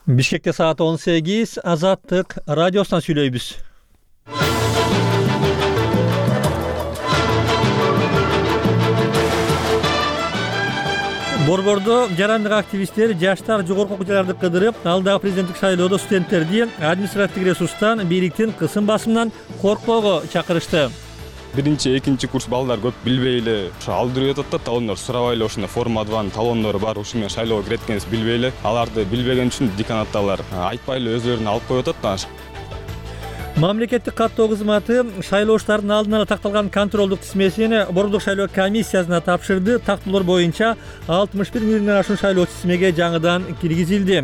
Бишкекте саат 18, Азаттык радиосунан сүйлөйбүз. Борбордо жарандык активисттер жаштар жогорку окуу жайларды кыдырып, алдагы президенттик шайлоодо студенттерди административдик ресурстан, бийликтин кысым басымынан коркпоого чакырышты. Биринчи, экинчи курс балдар көп билбей эле ошо алдырып атат да, талондор сурабай эле ошондой формадаган талондору бар, ушу менен шайлоого кирет экенбиз билбей эле. Аларды билбеген үчүн деканаттагылар айтпай эле өзлөрүнө алып коюп атат да. Мамлекеттик каттоо кызматы шайлоочулардын алдын ала такталган контролдук тизмесин борбордук шайлоо комиссиясына тапшырды. Тактоолор боюнча 61 миңден ашуун шайлоочу тизмеге жаңыдан киргизилди.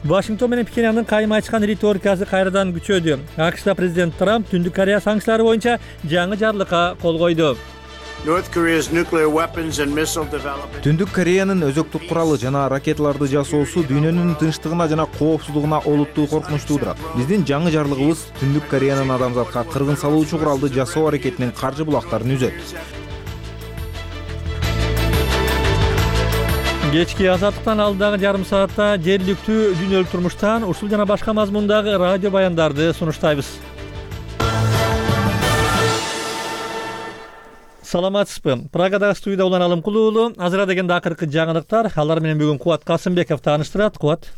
Вашингтон менен Пхеньяндын кайым айтышкан риторикасы кайрадан күчөдү. АКШда президент Трамп Түндүк Корея санкциялары боюнча жаңы жарлыкка кол койду. Түндүк Кореянын өзөктүк куралы жана ракеталарды жасоосу дүйнөнүн тынчтыгына жана коопсуздугуна олуттуу коркунуч туудурат. Биздин жаңы жарлыгыбыз Түндүк Кореянын адамзатка кыргын салуучу куралды жасоо аракетинин каржы булактарын үзөт. Кечки Азаттыктан алдагы жарым саатта жергиликтүү дүйнөлүк турмуштан ушул жана башка мазмундагы радио баяндарды сунуштайбыз. Саламатсызбы? Прагадагы студияда Улан Алымкулуу уулу. Азыр дегенде акыркы жаңылыктар. Алар менен бүгүн Кубат Касымбеков тааныштырат. Кубат.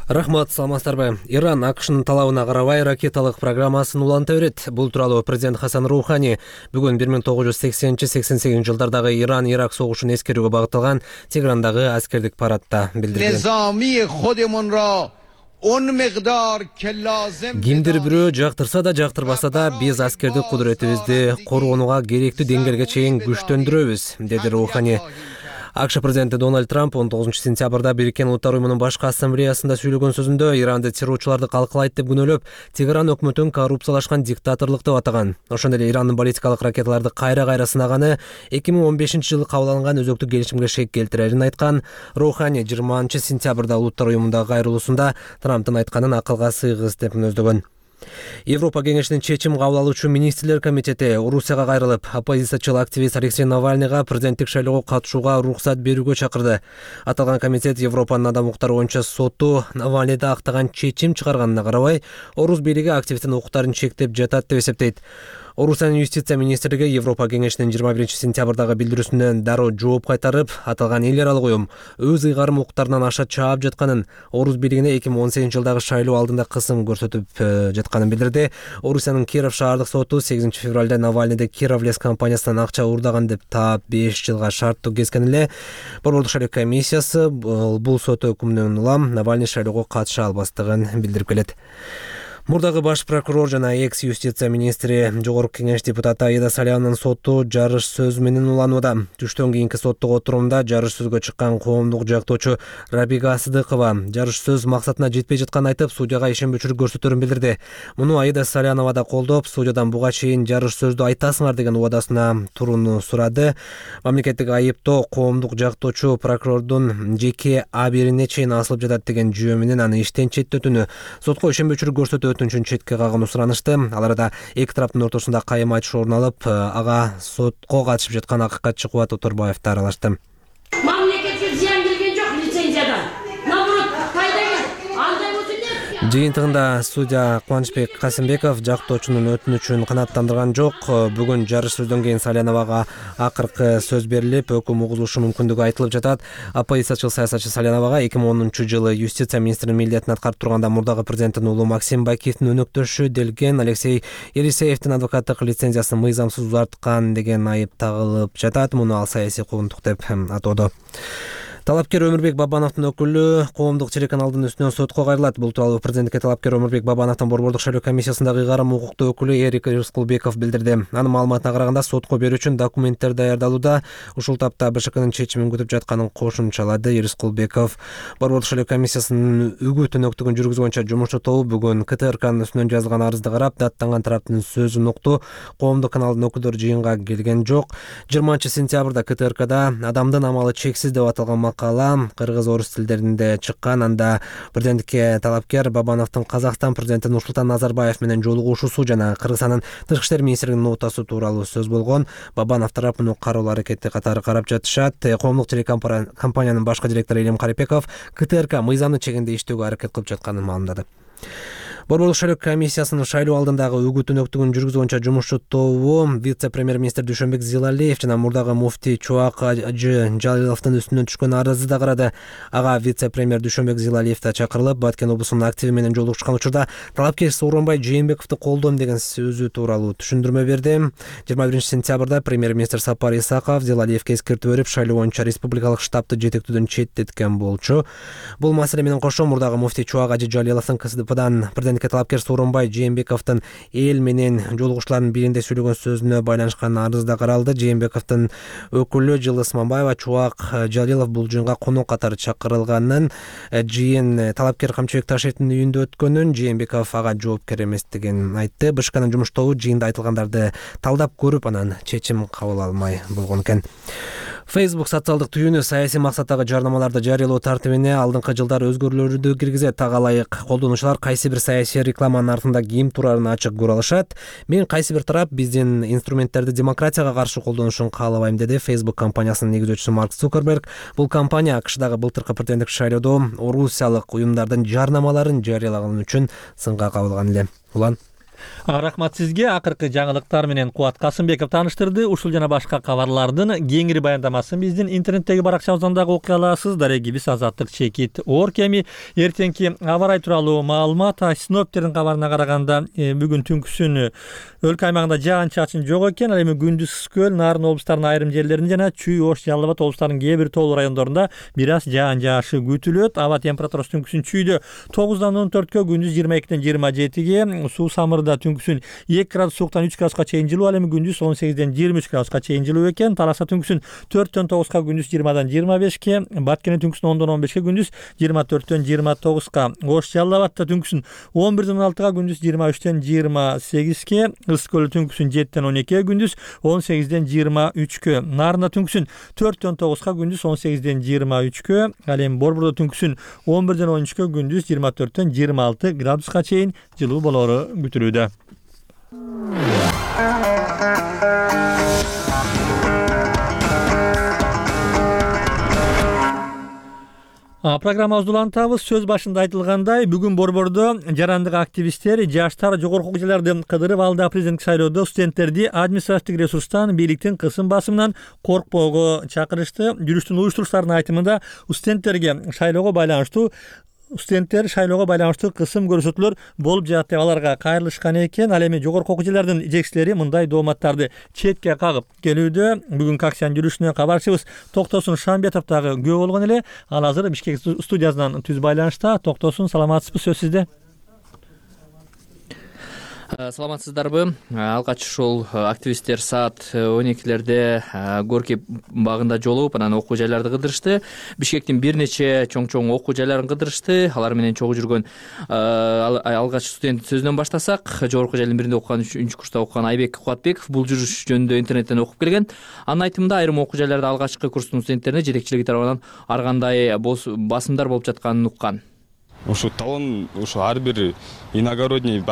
Рахмат, саламатсыздарбы. Иран АКШнын талабына карабай ракеталык программасын уланта берет. Бул тууралуу президент Хасан Рухани бүгүн 1980-88 жылдардагы Иран-Ирак согушун эскерүүгө багытталган Теграндагы аскердик парадта билдирди. Кимдир бирөө жактырса да жактырбаса да биз аскердик кудуретибизди коргонууга керектүү деңгээлге чейин күчтөндүрөбүз, деди Рухани. АКШ президенти Дональд Трамп 19 сентябрда Бириккен Улуттар уюмунун башкы ассамблеясында сүйлөгөн сөзүндө Иранды террорчуларды калкалайт деп күнөөлөп, Тегеран өкмөтүн коррупциялашкан диктаторлук деп атаган. Ошондой эле Ирандын баллистикалык ракеталарды кайра сынаганы 2015 жылы кабыл алынган өзөктүк келишимге шек келтирерин айткан. Рухани 20 сентябрда Улуттар уюмундагы кайрылуусунда Трамптын айтканын акылга сыйгыс деп мүнөздөгөн. Европа кеңешинин чечим кабыл алуучу министрлер комитети Орусияга кайрылып, оппозициячыл активист Алексей Навальныйга президенттик шайлоого катышууга уруксат берүүгө чакырды. Аталган комитет Европанын адам укуктары боюнча соту Навальныйда актаган чечим чыгарганына карабай, Орус бийлиги активисттин укуктарын чектеп жатат деп эсептейт. Орусиянын юстиция министрлиги Европа кеңешинин 21 сентябрдагы билдирүүсүнө дароо жооп кайтарып, аталган эл аралык уюм өз ыйгарым укуктарынан аша чаап жатканын, Орус бийлигине 2018 жылдагы шайлоо алдында кысым көрсөтүп жатканын билдирди. Орусиянын Киров шаардык соту 8 февралда Навальныйды Кировлес компаниясынан акча уурдаган деп таап 5 жылга шарттуу кезген эле. Борбордук шайлоо комиссиясы бул сот өкүмүнөн улам Навальный шайлоого катыша албастыгын билдирип келет. Мурдагы баш прокурор жана экс-юстиция министри, жогорку кеңеш депутаты Аида Салянанын соту жарыш сөз менен уланууда. Түштөн кийинки соттук отурумда жарыш сөзгө чыккан коомдук жактоочу Рабига Сыдыкова жарыш сөз максатына жетпей жатканын айтып, судьяга ишенбөөчүлүк көрсөтөрүн билдирди. Муну Аида Салянова да колдоп, судьядан буга чейин жарыш сөздү айтасыңар деген убадасына турууну сурады. Мамлекеттик айыптоо коомдук жактоочу прокурордун жеке абирине чейин асылып жатат деген жүйө менен аны иштен четтетүүнү, сотко ишенбөөчүлүк көрсөтүү өтүнчүн четке кагууну суранышты. Аларда эки тараптын ортосунда кайым айтыш орун алып, ага сотко катышып жаткан акыкатчы Кубат Оторбаевди аралашты. Мамлекетке зыян келген жок лицензиядан. Наоборот, пайда келди. Андай болсун деп. Жыйынтыгында судья Кубанычбек Касымбеков жактоочунун өтүнүчүн канааттандырган жок. Бүгүн жарыш сөздөн кийин Саляновага акыркы сөз берилип, өкүм угулушу мүмкүндүгү айтылып жатат. Оппозициячыл саясатчы Саляновага 2010 жылы юстиция министринин милдетин аткарып турганда мурдагы президенттин уулу Максим Бакиевдин өнөктөшү делген Алексей Елисеевдин адвокаттык лицензиясын мыйзамсыз узарткан деген айып тагылып жатат. Муну ал саясий куугунтук деп атоодо. Талапкер Өмүрбек Бабановдун өкүлү коомдук телеканалдын үстүнөн сотко кайрылат. Бул тууралуу президентке талапкер Өмүрбек Бабановдун борбордук шайлоо комиссиясындагы ыйгарым укуктуу өкүлү Эрик Рыскулбеков билдирди. Анын маалыматына караганда, сотко берүү үчүн документтер даярдалууда. Ушул тапта БШКнын чечимин күтүп жатканын кошумчалады Рыскулбеков. Борбордук шайлоо комиссиясынын үгүт өнөктүгүн жүргүзгөнчө жумушчу тобу бүгүн КТРКнын үстүнөн жазылган арызды карап, даттанган тараптын сөзүн укту. Коомдук каналдын өкүлдөрү жыйынга келген жок. 20 сентябрда КТРКда адамдын амалы чексиз деп аталган макала кыргыз орус тилдеринде чыккан. Анда президенттикке талапкер Бабановдун Казакстан президенти Нурсултан Назарбаев менен жолугушуусу жана Кыргызстандын Тышкы иштер министринин нотасы тууралуу сөз болгон. Бабанов тарап муну кароолуу аракети катары карап жатышат. Коомдук телекомпаниянын башкы директору Элим Карипеков КТРК мыйзамдын чегинде иштөөгө аракет кылып жатканын маалымдады. Борбордук шайлоо комиссиясынын шайлоо алдындагы үгүт-өнөктүгүн жүргүзүү боюнча жумушчу тобу вице-премьер-министр Дүйшөнбек Зилалиев жана мурдагы муфтий Чубак Ажы Жалиловдун үстүнөн түшкөн арызды да карады. Ага вице-премьер Дүйшөнбек Зилалиев да чакырылып, Баткен облусунун активи менен жолугушкан учурда талапкер Сооронбай Жээнбековду колдойм деген сөзү тууралуу түшүндүрмө берди. 21-сентябрда премьер-министр Сапар Исаков Зилалиевге эскертүү берип, шайлоо боюнча республикалык штабты жетектүүдөн четтеткен болчу. Бул маселе менен кошо мурдагы муфтий Чубак Ажы Жалиловдун КСДПдан талапкер Сооронбай Жээнбековдун эл менен жолугушуулардын биринде сөйлөгөн сөзүнө байланышкан арыз да каралды. Жээнбековдун өкүлү Жылы Сманбаева Чубак Жалилов бул жыйынга конок катары чакырылганын, жыйын талапкер Камчыбек Ташевдин үйүндө өткөнүн, Жээнбеков ага жоопкер эместигин айтты. БШКнын жумуш тобу жыйында айтылгандарды талдап көрүп, анан чечим кабыл алмай болгон экен. Facebook социалдык түйүнү саясий максаттагы жарнамаларды жарыялоо тартибине алдыңкы жылдары өзгөрүүлөрдү киргизет. Ага ылайык колдонуучулар кайсы бир саясий рекламанын артында ким турарын ачык көрө алышат. Мен кайсы бир тарап биздин инструменттерди демократияга каршы колдонушун каалабайм, деди Facebook компаниясынын негизүүчүсү Марк Цукерберг. Бул компания АКШдагы былтыркы президенттик шайлоодо орусиялык уюмдардын жарнамаларын жарыялаганы үчүн сынга кабылган эле. Улан. Рахмат сизге. Акыркы жаңылыктар менен Кубат Касымбеков тааныштырды. Ушул жана башка кабарлардын кеңири баяндамасын биздин интернеттеги баракчабыздан дагы окуй аласыз. Дарегибиз Азаттык Чекит Оркеми. Эртеңки аба ырайы тууралуу маалымат синоптиктердин кабарына караганда бүгүн түнкүсүн өлкө аймагында жаан-чачын жок экен. Ал эми күндүз Көл, Нарын облустарынын айрым жерлеринде жана Чүй, Ош, Жалал Абад облустарынын кээ бир тоолуу райондорунда бир аз жаан жаашы күтүлөт. Аба температурасы түнкүсүн Чүйдө 9дан 14кө, күндүз 22ден 27ге, Суу Самырда түнкүсүн 2 градус сууктан 3 градуска чейин жылуу, ал эми күндүз 18ден 23 градуска чейин жылуу экен. Таласа түнкүсүн 4дөн 9ка, күндүз 20дан 25ке, Баткенде түнкүсүн 10дон 15ке, күндүз 24дөн 29ка, Ош, Жалал Абадта түнкүсүн 11ден 16га, күндүз 23ден 28ке, Ысык Көлдө түнкүсүн 7ден 12ге, күндүз 18ден 23кө, Нарында түнкүсүн 4дөн 9ка, күндүз 18ден 23кө, ал эми Борбордо түнкүсүн 11ден 13кө, күндүз 24дөн 26 градуска чейин жылуу болору күтүлүүдө. Программабызды улантабыз. Сөз башында айтылгандай, бүгүн Борбордо жарандык активисттер жаштар жогорку окуу жайларды кыдырып, алда президенттик шайлоодо студенттерди административдик ресурстан, бийликтин кысым басымынан коркпоого чакырышты. Жүрүштүн уюштуруучуларынын айтымында студенттер шайлоого байланыштуу кысым көрсөтүүлөр болуп жатат деп аларга кайрылышкан экен. Ал эми жогорку окуу жайлардын жетекчилери мындай дооматтарды четке кагып келүүдө. Бүгүнкү акциянын жүрүшүнө кабарчыбыз Токтосун Шамбетов дагы күбө болгон эле. Ал азыр Бишкек студиясынан түз байланышта. Токтосун, саламатсызбы? Сөз сизде. Саламатсыздарбы? Алгач ушул активисттер саат 12лерде Горький багында жолугуп, анан окуу жайларды кыдырышты. Бишкектин бир нече чоң окуу жайларын кыдырышты. Алар менен чогуу жүргөн алгач студент сөзүнөн баштасак, жогорку жайлардын биринде окуган 3-үнчү курста окуган Айбек Кубатбеков бул жүрүш жөнүндө интернеттен окуп келген. Анын айтымында айрым окуу жайларда алгачкы курстун студенттерине жетекчилиги тарабынан ар кандай басымдар болуп жатканын уккан. Ушу талон, ушу ар бир иногородний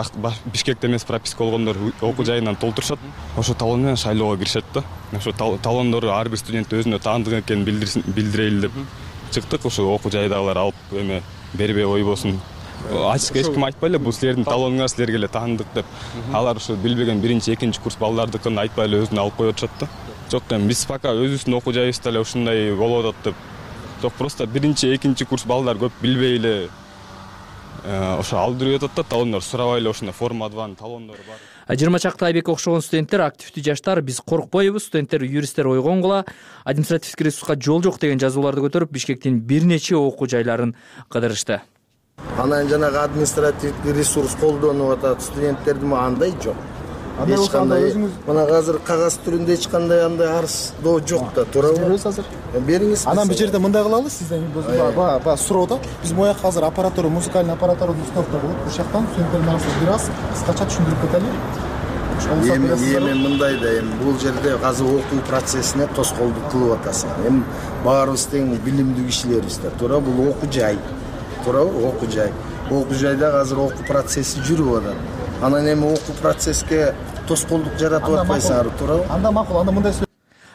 Бишкекте эмес прописка болгондор окуу жайынан толтурушат. Ошо талон менен шайлоого киришет да. Ошо талондору ар бир студент өзүнө таандык экенин билдирели деп чыктык. Ошо окуу жайдагылар алып эме бербей койбосун. Ачык эч ким айтпай эле бул силердин талонуңар, силерге эле таандык деп. Алар ушу билбеген 1-2 курс балдардыкын айтпай эле өзүнө алып коюп атышат да. Жок, эми биз пока өзүбүздүн окуу жайыбызда эле ушундай болуп атат деп. Жок, просто 1-2 курс балдар көп билбей эле ошо алдырып атат да, талондор сурабай эле ошондой формадагы талондор бар. 20 чакты Айбекке окшогон студенттер, активдүү жаштар биз коркпойбуз, студенттер, юристтер ойгонгула, административдик ресурска жол жок деген жазууларды көтөрүп Бишкектин бир нече окуу жайларын кыдырышты. Анан жанагы административдик ресурс колдонуп атат, студенттердин андай жок. Эч кандай мына азыр кагаз түрүндө эч кандай андай арыз доо жок да, туурабы? Беребиз азыр. Бериңиз. Анан бул жерде мындай кылалы, сизден баягы суроо да. Биз мояк азыр аппаратура, музыкальный аппаратураны установка кылып, бул жактан студенттердин арасында бир аз кыскача түшүндүрүп кетели. эми мындай да, эми бул жерде азыр окуу процессине тоскоолдук кылып атасың. Эми баарыбыз тең билимдүү кишилербиз да, туура бул окуу жай. Туурабы? Окуу жай. Окуу жайда азыр окуу процесси жүрүп атат. Анан эми окуу процесске тоскоолдук жаратып атпайсыңар, туурабы? Анда макул, анда мындай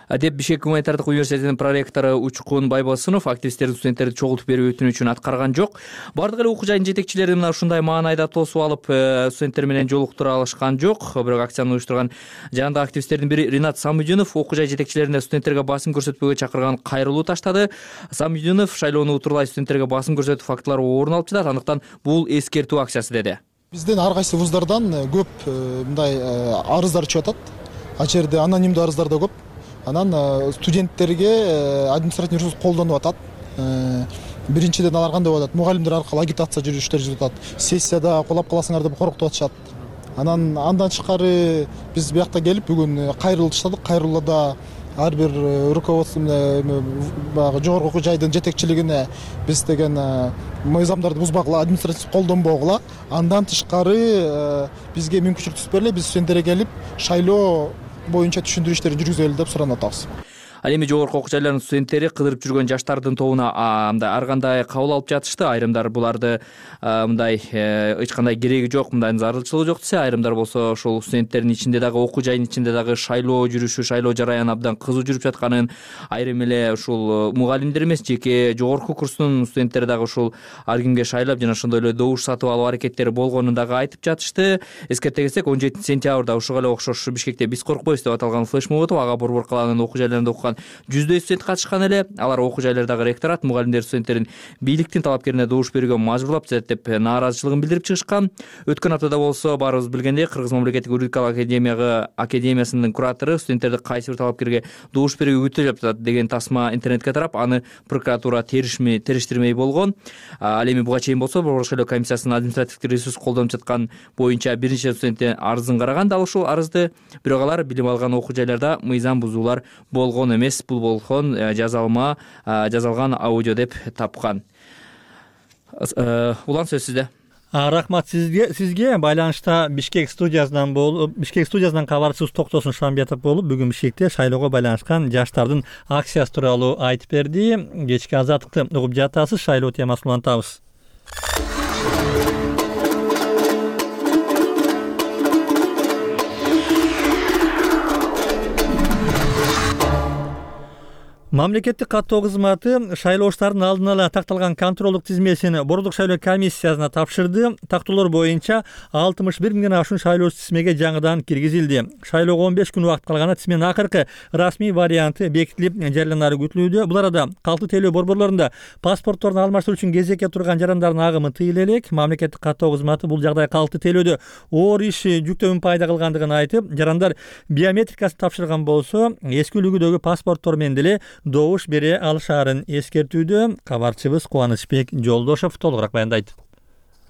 деп Бишкек гуманитардык университетинин проректору Учкун Байбосунов активисттердин студенттерди чогултуп берүү өтүнүчүн аткарган жок. Бардык эле окуу жайдын жетекчилери мына ушундай маанайда тосуп алып студенттер менен жолуктура алышкан жок. Бирок акцияны уюштурган жаандагы активисттердин бири Ринат Самудинов окуу жай жетекчилерине студенттерге басым көрсөтпөгө чакырган кайрылуу таштады. Самудинов шайлоону утурлай студенттерге басым көрсөтүү фактылары орун алып жатат, андыктан бул эскертүү акциясы деди. Бизден ар кайсы вуздардан көп мындай арыздар чыгып атат. Ал жерде анонимдүү арыздар да көп. Анан студенттерге административный ресурс колдонуп атат. Биринчиден алар кандай болуп атат? Мугалимдер аркылуу агитация жүрүштөр жүрүп атат. Сессияда колап каласыңар деп коркутуп атышат. Андан тышкары биз биякта келип бүгүн кайрылуу таштадык. Кайрылууда ар бир руководство баягы жогорку окуу жайдын жетекчилигине биз деген мыйзамдарды бузбагыла, административдик колдонбогула. Андан тышкары бизге мүмкүнчүлүк түзүп бериле, биз студенттерге келип шайлоо боюнча түшүндүрүү иштерин жүргүзөлү деп суранып атабыз. Ал эми жогорку окуу жайлардын студенттери кыдырып жүргөн жаштардын тобуна мындай ар кандай кабыл алып жатышты. Айрымдар буларды мындай эч кандай кереги жок, мындай зарылчылыгы жок десе, айрымдар болсо ошол студенттердин ичинде дагы окуу жайдын ичинде дагы шайлоо жүрүшү, шайлоо жараяны абдан кызуу жүрүп жатканын, айрым эле ушул мугалимдер эмес, жеке жогорку курстун студенттери дагы ушул ар кимге шайлап жана ошондой эле добуш сатып алуу аракеттери болгонун дагы айтып жатышты. Эскерте кетсек, 17 сентябрда ушуга эле окшош Бишкекте биз коркпойбуз деп аталган флешмоб өтүп, ага Борбор калаанын окуу жайларында окуган 100 студент катышкан эле. Алар окуу жайлардагы ректорат, мугалимдер студенттерин бийликтин талапкерине добуш берүүгө мажбурлап жатат деп нааразычылыгын билдирип чыгышкан. Өткөн аптада болсо баарыбыз билгендей Кыргыз мамлекеттик юридикалык академиясынын куратору студенттерди кайсы бир талапкерге добуш берүүгө күтүлүп жатат деген тасма интернетке тарап, аны прокуратура териштирмей болгон. Ал эми буга чейин болсо Борбор шайлоо комиссиясынын административдик ресурс колдонуп жаткан боюнча биринчи студенттин арызын караган. Дал ушул арызды бирок алар билим алган окуу жайларда мыйзам бузуулар болгон эмес, бул болгон жазалган аудио деп тапкан. Улан, сөз сизде. Рахмат сизге. Байланышта Бишкек студиясынан кабарчыбыз Токтосун Шамбетов болуп, бүгүн Бишкекте шайлоого байланышкан жаштардын акциясы тууралуу айтып берди. Кечки Азаттыкты угуп жатасыз, шайлоо темасын улантабыз. Мамлекеттик каттоо кызматы шайлооштардын алдын ала такталган контролдук тизмесин Борбордук шайлоо комиссиясына тапшырды. Тактоолор боюнча 61 миңден ашуун шайлоочу тизмеге жаңыдан киргизилди. Шайлоого 15 күн убакыт калганда тизменин акыркы расмий варианты бекитилип жарыяланары күтүлүүдө. Бул арада калктуу тейлөө борборлорунда паспортторду алмаштыруу үчүн кезекке турган жарандардын агымы тыйыла элек. Мамлекеттик каттоо кызматы бул жагдай калктуу тейлөөдө оор иш жүктөмүн пайда кылгандыгын айтып, жарандар биометрикасын тапшырган болсо эски үлгүдөгү паспорттор менен деле добуш бере алышаарын эскертүүдө. Кабарчыбыз Кубанычбек Жолдошов толугураак баяндайт.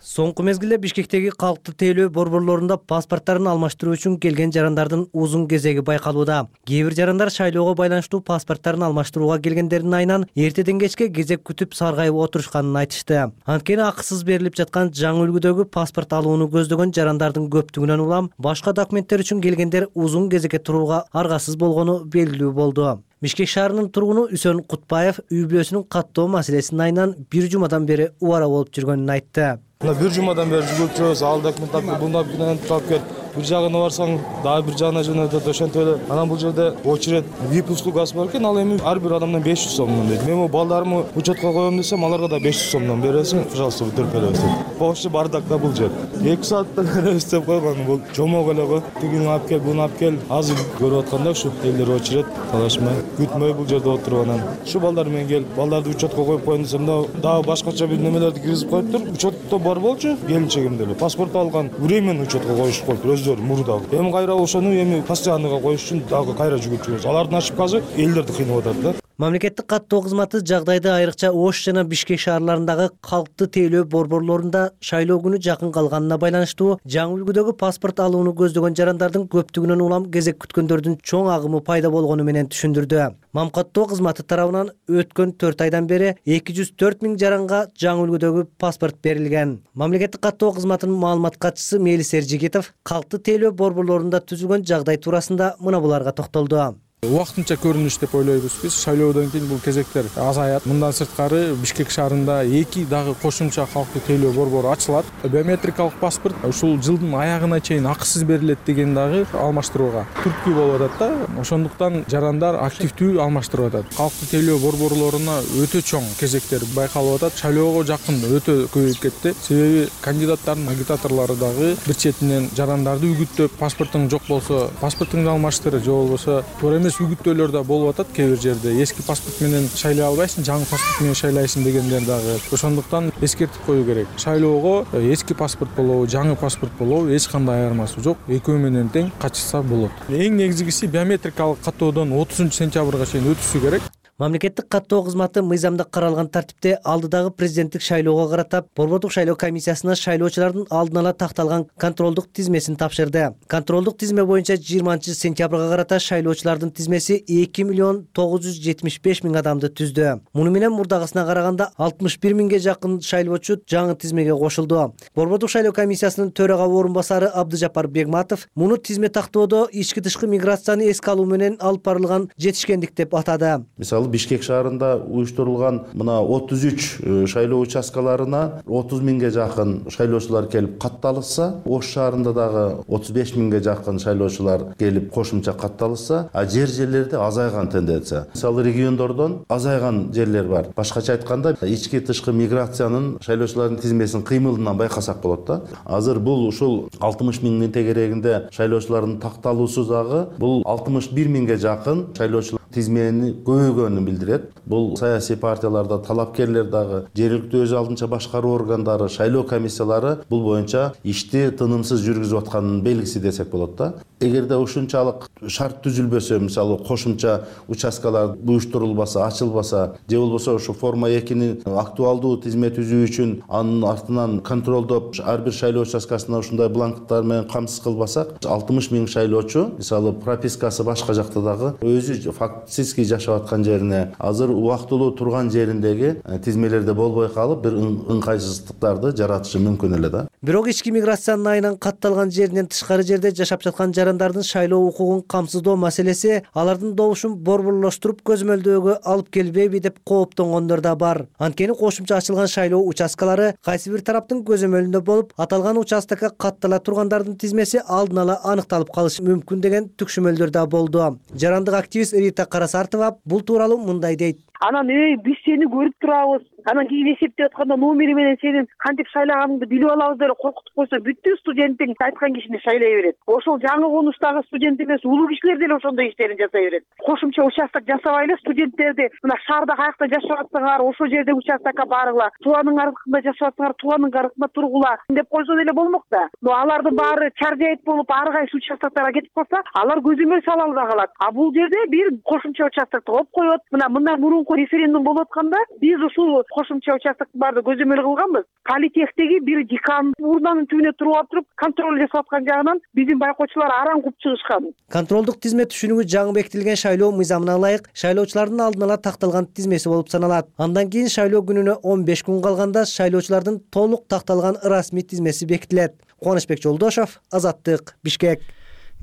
Соңку мезгилде Бишкектеги калктуу тейлөө борборлорунда паспорттарын алмаштыруу үчүн келген жарандардын узун кезеги байкалууда. Кээ бир жарандар шайлоого байланыштуу паспорттарын алмаштырууга келгендердин айынан эртеден кечке кезек күтүп саргайып отурушканын айтышты. Анткени акысыз берилип жаткан жаңы үлгүдөгү паспорт алууну көздөгөн жарандардын көптүгүнөн улам башка документтер үчүн келгендер узун кезекке турууга аргасыз болгону белгилүү болду. Бишкек шаарынын тургуну Үсөн Кутбаев үй бүлөсүнүн каттоо маселесинин айынан бир жумадан бери убара болуп жүргөнүн айтты. Бир жумадан бери жүгүрүп жүрөбүз, ал документ алып, бундай документ алып кел. Бир жагына барсаң, дагы бир жагына жөнөтөт, ошентип эле. Анан бул жерде очередь VIP услугасы бар экен, ал эми ар бир адамдан 500 сомдон дейт. Мен балдарымы учетко коем десем, аларга да 500 сомдон бересиң, пожалуйста, өтөрүп дейт. Вообще бардак да бул жер. 2 саатта беребиз деп койгон, бул жомок эле го. Тигини алып кел, буну алып кел. Азыр көрүп атканда ушу элдер очередь талашмай, күтмөй бул жерде отуруп анан. Ушу балдар менен келип, балдарды учетко коюп коем десем, дагы башкача бир немелерди киргизип коюптур. Учетто бар болчу, келинчегимде эле паспорт алган, временно учетко коюшуп коюптур өздөрү мурда. Эми кайра ошону эми постоянныйга коюш үчүн дагы кайра жүгүрүп жүрөбүз. Алардын ошибкасы элдерди кыйнап атат да. Мамлекеттик каттоо кызматы жагдайды айрыкча Ош жана Бишкек шаарларындагы калкты тейлөө борборлорунда шайлоо күнү жакын калганына байланыштуу жаңы үлгүдөгү паспорт алууну көздөгөн жарандардын көптүгүнөн улам кезек күткөндөрдүн чоң агымы пайда болгону менен түшүндүрдү. Мамкаттоо кызматы тарабынан өткөн 4 айдан бери 204 000 жаранга жаңы үлгүдөгү паспорт берилген. Мамлекеттик каттоо кызматынын маалымат катчысы Мелис Эржигитов калкты тейлөө борборлорунда түзүлгөн жагдай туурасында мына буларга токтолду. Убактынча көрүнүш деп ойлойбуз биз. Шайлоодон кийин бул кезектер азаят. Мындан сырткары Бишкек шаарында 2 дагы кошумча калктуу тейлөө борбору ачылат. Биометрикалык паспорт ушул жылдын аягына чейин акысыз берилет деген дагы алмаштырууга түрткү болуп атат да. Ошондуктан жарандар активдүү алмаштырып атат. Калктуу тейлөө борборлоруна өтө чоң кезектер байкалып атат. Шайлоого жакын өтө көбөйүп кетти. Себеби кандидаттардын агитаторлору дагы бир четинен жарандарды үгүттөп, паспортуң жок болсо, паспортуңду алмаштыр, же болбосо үгүттөөлөр да болуп атат. Кээ бир жерде эски паспорт менен шайлай албайсың, жаңы паспорт менен шайлайсың дегендер дагы. Ошондуктан эскертип коюу керек. Шайлоого эски паспорт болобу, жаңы паспорт болобу эч кандай айырмасы жок. Экөө менен тең катышса болот. Эң негизгиси биометрикалык каттоодон 30 сентябрга чейин өтүшү керек. Мамлекеттик каттоо кызматы мыйзамда каралган тартипте алдыдагы президенттик шайлоого карата борбордук шайлоо комиссиясына шайлоочулардын алдын ала такталган контролдук тизмесин тапшырды. Контролдук тизме боюнча 20 сентябрга карата шайлоочулардын тизмеси 2 975 000 адамды түздү. Муну менен мурдагысына караганда 61 000ге жакын шайлоочу жаңы тизмеге кошулду. Борбордук шайлоо комиссиясынын төрага орун басары Абдыжапар Бегматов муну тизме тактоодо ички тышкы миграцияны эске алуу менен алып барылган жетишкендик деп атады. Бишкек шаарында уюштурулган мына 33 шайлоо участкаларына 30 000ге жакын шайлоочулар келип катталышса, Ош шаарында дагы 35 000ге жакын шайлоочулар келип кошумча катталышса, жерлерде азайган тенденция. Мисалы региондордон азайган жерлер бар. Башкача айтканда, ички тышкы миграциянын шайлоочулардын тизмесин кыймылынан байкасак болот да. Азыр бул ушул 60 000 тегерегинде шайлоочулардын такталуусу дагы бул 61 000ге жакын шайлоочулар тизмени көбөйгөнүн билдирет. Бул саясий партияларда талапкерлер дагы, жергиликтүү өз алдынча башкаруу органдары, шайлоо комиссиялары бул боюнча ишти тынымсыз жүргүзүп атканын белгиси десек болот да. Эгерде ушунчалык шарт түзүлбөсө, мисалы кошумча участкалар уюштурулбаса, ачылбаса, же болбосо ушу форма 2-нин актуалдуу тизме түзүү үчүн анын артынан контролдоп ар бир шайлоо участкасына ушундай бланктар менен камсыз кылбасак, 60 000 шайлоочу, мисалы пропискасы башка жакта дагы өзү фактически жашап аткан жерине, азыр убактылуу турган жериндеги тизмелерде болбой калып, бир ыңгайсыздыктарды жаратышы мүмкүн эле да. Бирок ички миграциянын айынан катталган жеринен тышкары жерде жашап жаткан жарандардын шайлоо укугун камсыздоо маселеси алардын добушун борборлоштуруп көзөмөлдөөгө алып келбейби деп кооптонгондор да бар. Анткени кошумча ачылган шайлоо участкалары кайсы бир тараптын көзөмөлүндө болуп, аталган участокко каттала тургандардын тизмеси алдын ала аныкталып калышы мүмкүн деген түкшүмөлдөр да болду. Жарандык активист Рита Карасартова бул тууралуу мындай дейт. Анан биз сени көрүп турабыз. Анан кийин эсептеп атканда номери менен сенин кантип шайлаганыңды билип алабыз деп коркутуп койсо, бүттү студенттиң айткан кишини шайлай берет. Ошол жаңы конуштагы студент эмес, улуу кишилер деле ошондой иштерин жасай берет. Кошумча участок жасабайлы студенттерди мына шаарда каякта жашап атсаңар, ошол жерде участокко баргыла. Тууганын аркында жашап атсаңар, тууганын аркында тургула деп койсо деле болмок да. Алардын баары чаржайт болуп, ар кайсы участокторго кетип калса, алар көзөмөл сала албай калат. А бул жерде бир кошумча участокты коюп коет. Мындан мурунку референдум болуп атканда биз ушул кошумча участоктун баарды көзөмөл кылганбыз. Политехтеги бир декан урнанын түбүнө туруп туруп контроль жасап аткан жагынан биздин байкоочулар аран куп чыгышкан. Контролдук тизме түшүнүгү жаңы бекитилген шайлоо мыйзамына ылайык шайлоочулардын алдын ала такталган тизмеси болуп саналат. Андан кийин шайлоо күнүнө 15 күн калганда шайлоочулардын толук такталган расмий тизмеси бекитилет. Кубанычбек Жолдошов, Азаттык, Бишкек.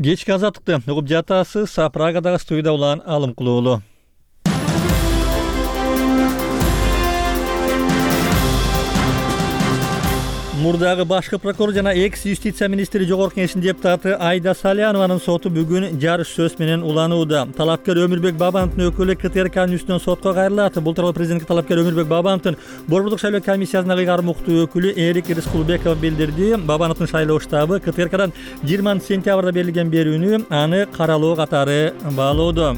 Кечки азаттыкты угуп жатасыз. Прагадагы студияда улан Алымкулуулу. Мурдагы башкы прокурор жана экс-юстиция министри жогорку кеңештин депутаты Айда Салянованын соту бүгүн жарыш сөз менен уланууда. Талапкер Өмүрбек Бабановдун өкүлү КТРКнын үстүнөн сотко кайрылат. Бул тууралуу президентке талапкер Өмүрбек Бабановдун борбордук шайлоо комиссиясынын ыйгарым уктуу өкүлү Эрик Рыскулбеков билдирди. Бабановдун шайлоо штабы КТРКдан 20 сентябрда берилген берүүнү аны каралоо катары баалоодо.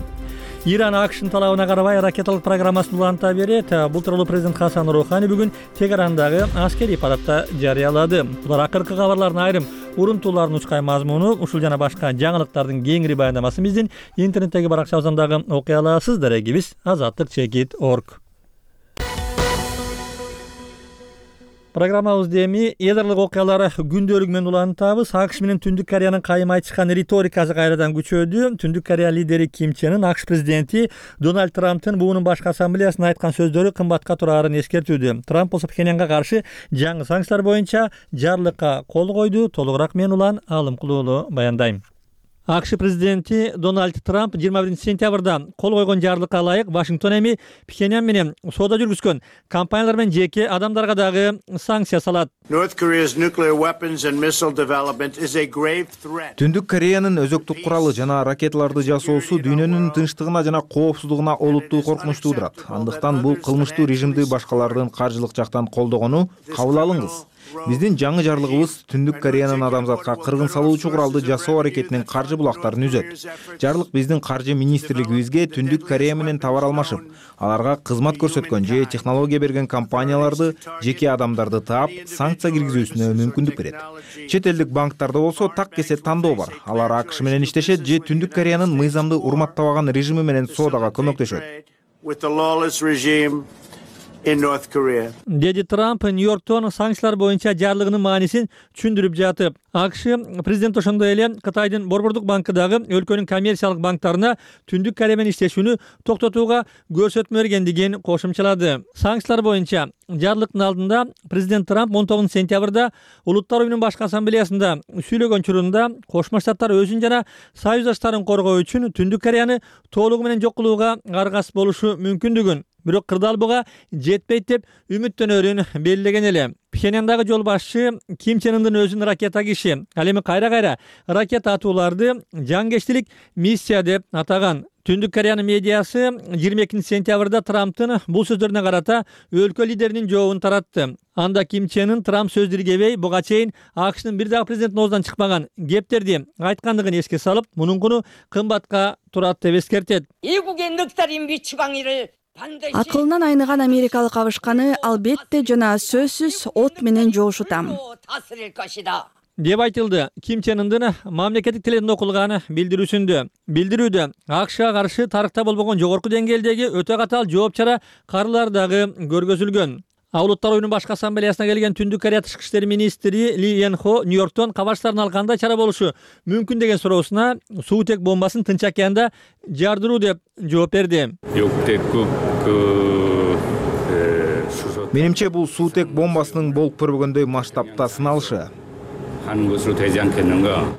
Иран АКШнын талабына карабай ракеталык программасын уланта берет. Бул тууралуу президент Хасан Рухани бүгүн Тегерандагы аскерий парадда жарыялады. Булар акыркы кабарлардын айрым урунтуулардын учкай мазмуну ушул жана башка жаңылыктардын кеңири баяндамасын биздин интернеттеги баракчабыздан дагы окуй аласыз. Дарегибиз azatlyk.org. Программабызды эми эдарлык окуялар күндөлүгү менен улантабыз. АКШ менен Түндүк Кореянын кайым айтышкан риторикасы кайрадан күчөдү. Түндүк Корея лидери Ким Чен Ын АКШ президенти Дональд Трамптын буунун башкы ассамблеясына айткан сөздөрү кымбатка турарын эскертүүдө. Трамп болсо Пхеньянга каршы жаңы санкциялар боюнча жарлыкка кол койду. Толугураак мен Улан Алымкулуулу баяндайм. АКШ президенти Дональд Трамп 21-сентябрда кол койгон жарлыкка ылайык Вашингтон эми Пхеньян менен соода жүргүзгөн компаниялар менен жеке адамдарга дагы санкция салат. Түндүк Кореянын өзөктүк куралы жана ракеталарды жасоосу дүйнөнүн тынчтыгына жана коопсуздугуна олуттуу коркунуч туудурат. Андыктан бул кылмыштуу режимди башкалардын каржылык жактан колдогону кабыл алыңыз. Биздин жаңы жарлыгыбыз Түндүк Кореянын адамзатка кыргын салуучу куралды жасоо аракетинин каржы булактарын үзөт. Жарлык биздин каржы министрлигибизге Түндүк Корея менен товар алмашып, аларга кызмат көрсөткөн же технология берген компанияларды, жеке адамдарды таап, санкция киргизүүсүнө мүмкүндүк берет. Чет элдик банктарда болсо так кесе тандоо бар. Алар АКШ менен иштешет же Түндүк Кореянын мыйзамды урматтабаган режими менен соодага көмөктөшөт. Деди Трамп Нью-Йорктон санкциялар боюнча жарлыгынын маанисин түшүндүрүп жатып, АКШ президент ошондой эле Кытайдын Борбордук банкы дагы өлкөнүн коммерциялык банктарына Түндүк Корея менен иштешүүнү токтотууга көрсөтмө бергендигин кошумчалады. Санкциялар боюнча жарлыктын алдында президент Трамп 19-сентябрда Улуттар уюмунун башкы ассамблеясында сүйлөгөн учурунда Кошмо Штаттар өзүн жана союздаштарын коргоо үчүн Түндүк Кореяны толугу менен жок кылууга аргасыз болушу мүмкүндүгүн, бирок кырдаалбыга жетпейт деп үмүттөнөрүн белгилеген эле. Пхеньяндагы жол башчы Ким Чен Ындын өзүн ракета киши, ал эми кайра-кайра ракета атууларды жангечтилик миссия деп атаган. Түндүк Кореянын медиасы 22-сентябрда Трамптын бул сөздөрүнө карата өлкө лидеринин жообун таратты. Анда Ким Чен Ын Трамп сөз диргебей, буга чейин АКШнын бир дагы президенттин оозунан чыкпаган кептерди айткандыгын эске салып, мунун куну кымбатка турат деп эскертет. Акылынан айныган америкалык абышканы албетте жана сөзсүз от менен жоошутам деп айтылды. Ким Чен Ындын мамлекеттик теледен окулган билдирүүдө АКШга каршы тарыхта болбогон жогорку деңгээлдеги өтө катаал жооп чара карылар дагы көргөзүлгөн. Улуттар уюмунун башкы ассамблеясына келген Түндүк Корея тышкы иштер министри Ли Ен Хо Нью-Йорктон кабарчтарын ал кандай чара болушу мүмкүн деген суроосуна суутек бомбасын Тынч океанда жардыруу деп жооп берди. Менимче бул суутек бомбасынын болуп көрбөгөндөй масштабта сыналышы.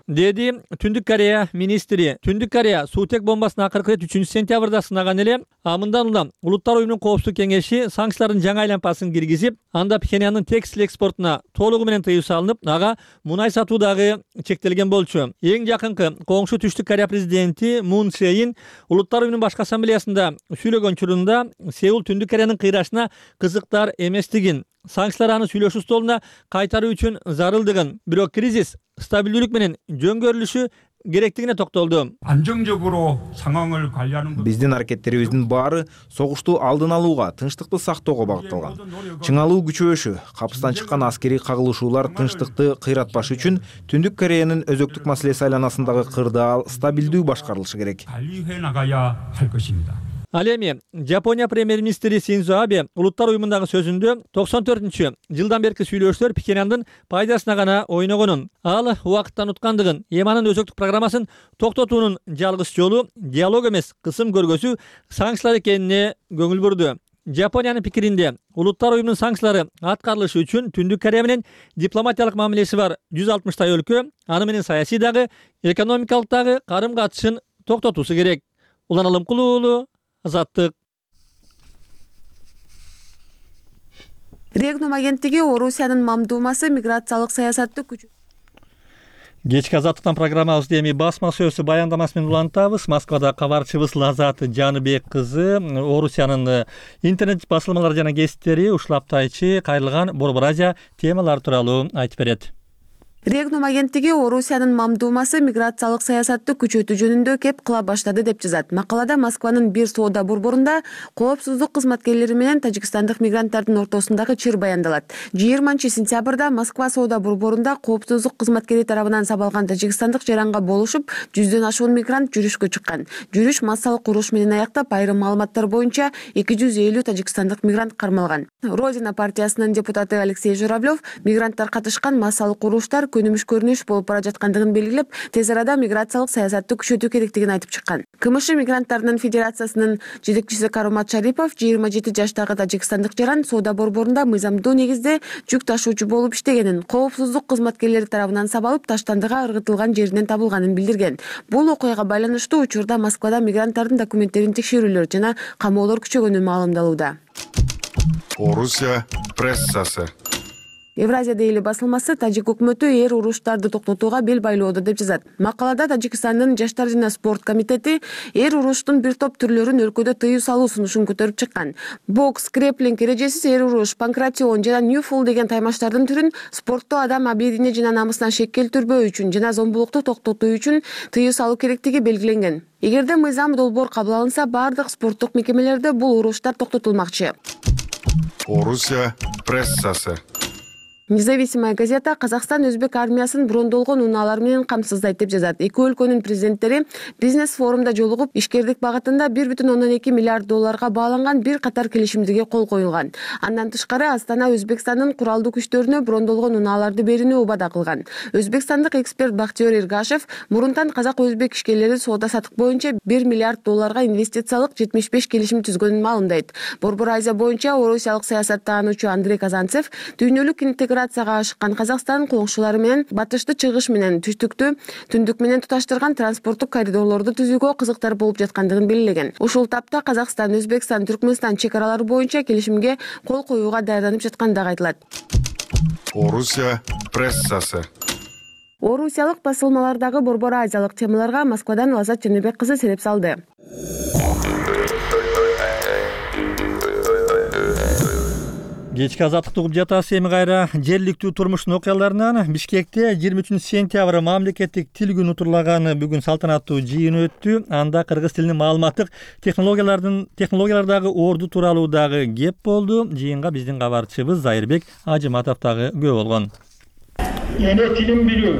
Деди Түндүк Корея министри. Түндүк Корея суутек бомбасын акыркы рет 3-сентябрда сынаган эле. Мындан улам Улуттар уюмунун коопсуздук кеңеши санкциялардын жаңы айлампасын киргизип, анда Пхеньяндын текстил экспортуна толугу менен тыюу салынып, ага мунай сатуу дагы чектелген болчу. Эң жакынкы коңшу Түштүк Корея президенти Мун Чжэ Ин Улуттар уюмунун башкы ассамблеясында сүйлөгөн учурунда Сеул Түндүк Кореянын кыйрашына кызыктар эместигин, санкциялар аны сүйлөшүү столуна кайтаруу үчүн зарылдыгын, бирок кризис стабилдүүлүк менен жөнгөрүлүшү керектигине токтолду. Биздин аракеттерибиздин баары согушту алдын алууга, тынчтыкты сактоого багытталган. Чыңалуу күчөбөшү, капыстан чыккан аскерий кагылышуулар тынчтыкты кыйратпаш үчүн Түндүк Кореянын өзөктүк маселеси айланасындагы кырдаал стабилдүү башкарылышы керек. Ал эми Жапония премьер-министри Синдзо Абе Улуттар уюмундагы сөзүндө 94-жылдан берки сүйлөшүүлөр Пхеньяндын пайдасына гана ойногонун, ал убакыттан уткандыгын, эми анын өзөктүк программасын токтотуунун жалгыз жолу диалог эмес, кысым көргөзүү санкциялар экенине көңүл бурду. Жапониянын пикиринде Улуттар уюмунун санкциялары аткарылышы үчүн Түндүк Корея менен дипломатиялык мамилеси бар 160 өлкө аны менен саясий дагы, экономикалык дагы карым-катышын токтотуусу керек. Улан Алымкулуулу, Азаттык. Регнум агенттиги Орусиянын мамдумасы миграциялык саясатты Кечки Азаттыктан программабызды эми басма сөзсү баяндамасы менен улантабыз. Москвада кабарчыбыз Лазат Жаныбек кызы Орусиянын интернет басылмалары жана гезиттери ушул аптайчы кайрылган Борбор Азия темалары тууралуу айтып берет. Регнум агенттиги Орусиянын мамдумасы миграциялык саясатты күчөтүү жөнүндө кеп кыла баштады деп жазат. Макалада Москванын бир соода борборунда коопсуздук кызматкерлери менен тажикстандык мигранттардын ортосундагы чыр баяндалат. 20-сентябрда Москва соода борборунда коопсуздук кызматкери тарабынан сабалган тажикстандык жаранга болушуп, 100дөн ашуун мигрант жүрүшкө чыккан. Жүрүш массалык уруш менен аяктап, айрым маалыматтар боюнча 250 тажикстандык мигрант кармалган. Родина партиясынын депутаты Алексей Журавлев мигранттар катышкан массалык уруштар көнүмүш көрүнүш болуп бара жаткандыгын белгилеп, тез арада миграциялык саясатты күчөтүү керектигин айтып чыккан. КМШ мигранттарынын федерациясынын жетекчиси Карумат Шарипов 27 жаштагы тажикстандык жаран соода борборунда мыйзамдуу негизде жүк ташуучу болуп иштегенин, коопсуздук кызматкерлери тарабынан сабалып, таштандыга ыргытылган жеринен табылганын билдирген. Бул окуяга байланыштуу учурда Москвада мигранттардын документтерин текшерүүлөр жана камоолор күчөгөнү маалымдалууда. Орусия прессасы. Евразия дейли басылмасы тажик өкмөтү уруштарды токтотууга бел байлоодо деп жазат. Макалада Тажикстандын жаштар жана спорт комитети уруштун бир топ түрлөрүн өлкөдө тыюу салуу сунушун көтөрүп чыккан. Бокс, креплинг, эрежесиз уруш, панкратион жана ньюфул деген таймаштардын түрүн спортто адам абийирине жана намысына шек келтирбөө үчүн жана зомбулукту токтотуу үчүн тыюу салуу керектиги белгиленген. Эгерде мыйзам долбоор кабыл алынса, бардык спорттук мекемелерде бул уруштар токтотулмакчы. Орусия прессасы. Независимая газета Казакстан өзбек армиясын брондолгон унаалар менен камсыздайт деп жазат. Эки өлкөнүн президенттери бизнес форумда жолугуп, ишкердик багытында 1,2 миллиард долларга бааланган бир катар келишимдерге кол коюлган. Андан тышкары Астана Өзбекстандын куралдуу күчтөрүнө брондолгон унааларды берүүнү убада кылган. Өзбекстандык эксперт Бактиер Иргашев мурунтан казак-өзбек ишкерлери соода-саттык боюнча 1 миллиард долларга инвестициялык 75 келишим түзгөнүн маалымдайт. Борбор Азия боюнча орусиялык саясаттануучу Андрей Казанцев дүйнөлүк интеграцияга ашыккан Казакстан коңшулары менен батышты чыгыш менен түштүктү түндүк менен туташтырган транспорттук коридорлорду түзүүгө кызыктар болуп жаткандыгын белгилеген. Ушул тапта Казакстан, Өзбекстан, Түркмөнстан чек аралары боюнча келишимге кол коюуга даярданып жаткандыгы айтылат. Орусия прессасы. Орусиялык басылмалардагы борбор азиялык темаларга Москвадан Лазат Чернебек кызы сереп салды. Кечки азаттыкты угуп жатасыз. Эми кайра жергиликтүү турмуштун окуяларынан Бишкекте 23-сентябрь мамлекеттик тил күнү утурлаганы бүгүн салтанаттуу жыйын өттү. Анда кыргыз тилинин маалыматтык технологиялардагы орду тууралуу дагы кеп болду. Жыйынга биздин кабарчыбыз Зайырбек Ажыматов дагы күбө болгон. Эне тилин билүү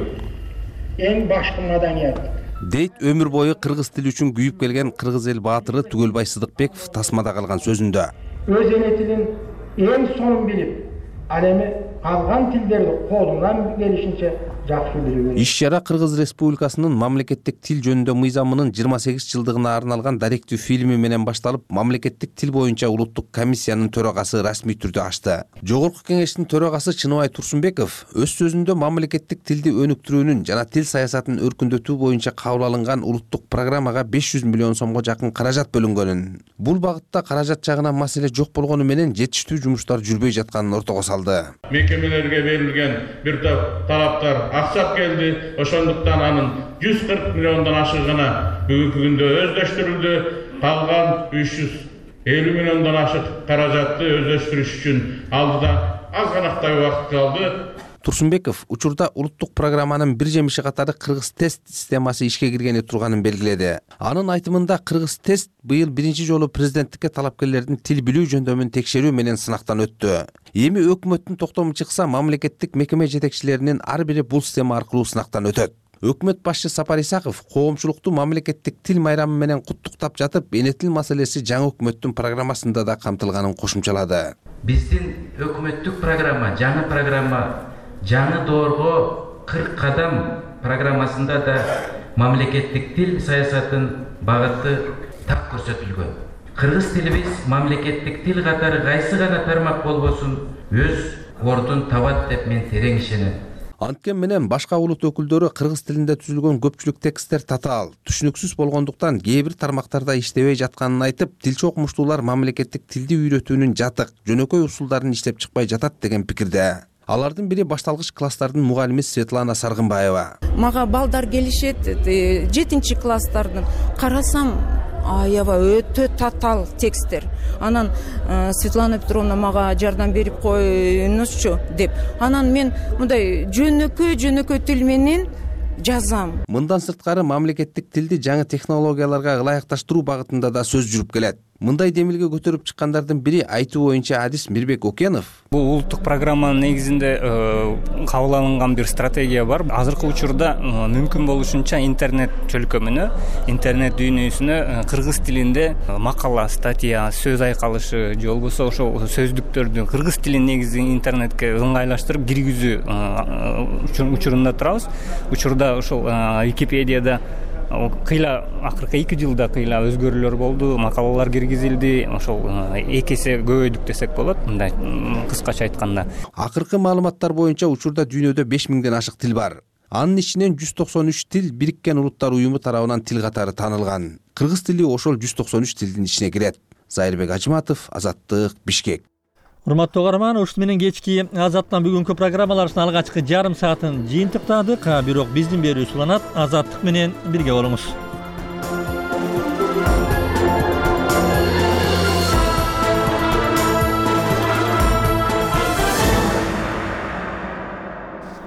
эң башкы маданият. Дейт өмүр бою кыргыз тили үчүн күйүп келген кыргыз эл баатыры Түгөлбай Сыдыкбеков тасмада калган сөзүндө. Өз эне тилин эң сонун билип, ал эми калган тилдерди колунан келишинче жакшы билүү. Иш-чара Кыргыз Республикасынын мамлекеттик тил жөнүндө мыйзамынын 28 жылдыгына арналган даректүү фильми менен башталып, мамлекеттик тил боюнча улуттук комиссиянын төрагасы расмий түрдө ачты. Жогорку кеңештин төрагасы Чыныбай Турсунбеков өз сөзүндө мамлекеттик тилди өнүктүрүүнүн жана тил саясатын өркүндөтүү боюнча кабыл алынган улуттук программага 500 миллион сомго жакын каражат бөлүнгөнүн, бул багытта каражат жагынан маселе жок болгону менен жетиштүү жумуштар жүрбөй жатканын ортого салды. Мекемелерге берилген бир топ талаптар аксап келди. Ошондуктан анын 140 миллиондон ашыгына бүгүнкү күндө өздөштүрүлдү. Калган 350 миллиондон ашык каражатты өздөштүрүш үчүн алдыда аз ганактай убакыт калды. Турсунбеков учурда улуттук программанын бир жемиши катары кыргыз тест системасы ишке киргени турганын белгиледи. Анын айтымында кыргыз тест быйыл биринчи жолу президенттикке талапкерлердин тил билүү жөндөмүн текшерүү менен сынактан өттү. Эми өкмөттүн токтому чыкса, мамлекеттик мекеме жетекчилеринин ар бири бул система аркылуу сынактан өтөт. Өкмөт башчы Сапар Исаков коомчулукту мамлекеттик тил майрамы менен куттуктап жатып, эне тил маселеси жаңы өкмөттүн программасында да камтылганын кошумчалады. Биздин өкмөттүк программа, жаңы доорго 40 кадам программасында да мамлекеттик тил саясатын багыты так көрсөтүлгөн. Кыргыз тилибиз мамлекеттик тил катары кайсы гана тармак болбосун өз ордун табат деп мен терең ишенем. Анткен менен башка улут өкүлдөрү кыргыз тилинде түзүлгөн көпчүлүк тексттер татаал, түшүнүксүз болгондуктан кээ бир тармактарда иштебей жатканын айтып, тилчи окумуштуулар мамлекеттик тилди үйрөтүүнүн жатык, жөнөкөй усулдарын иштеп чыкпай жатат деген пикирде. Алардын бири башталгыч класстардын мугалими Светлана Саргынбаева. Мага балдар келишет, 7-класстардын. Карасам, аябай өтө татаал тексттер. Анан Светлана Петровна мага жардам берип коюңузчу деп. Анан мен мындай жөнөкөй тил менен жазам. Мындан сырткары мамлекеттик тилди жаңы технологияларга ылайыкташтыруу багытында да сөз жүрүп келет. Мындай демилге көтөрүп чыккандардын бири айтуу боюнча адис Мирбек Окенов. Бул улуттук программанын негизинде кабыл алынган бир стратегия бар. Азыркы учурда мүмкүн болушунча интернет чөлкөмүнө, интернет дүйнөсүнө кыргыз тилинде макала, статья, сөз айкалышы же болбосо ошол сөздүктөрдү кыргыз тилин негизи интернетке ыңгайлаштырып киргизүү учурунда турабыз. Учурда ошол Википедияда кыйла акыркы 2 жылда кыйла өзгөрүүлөр болду, макалалар киргизилди, ошол 2 эсе көбөйдүк десек болот, мындай кыскача айтканда. Акыркы маалыматтар боюнча учурда дүйнөдө 5000ден ашык тил бар. Анын ичинен 193 тил Бириккен Улуттар уюму тарабынан тил катары таанылган. Кыргыз тили ошол 193 тилдин ичине кирет. Зайырбек Ажыматов, Азаттык, Бишкек. Урматтуу угарман, ушуну менен кечки Азаттын бүгүнкү программаларыбыздын алгачкы жарым саатын жыйынтыктадык. Бирок биздин берүүбүз уланат. Азаттык менен бирге болуңуз.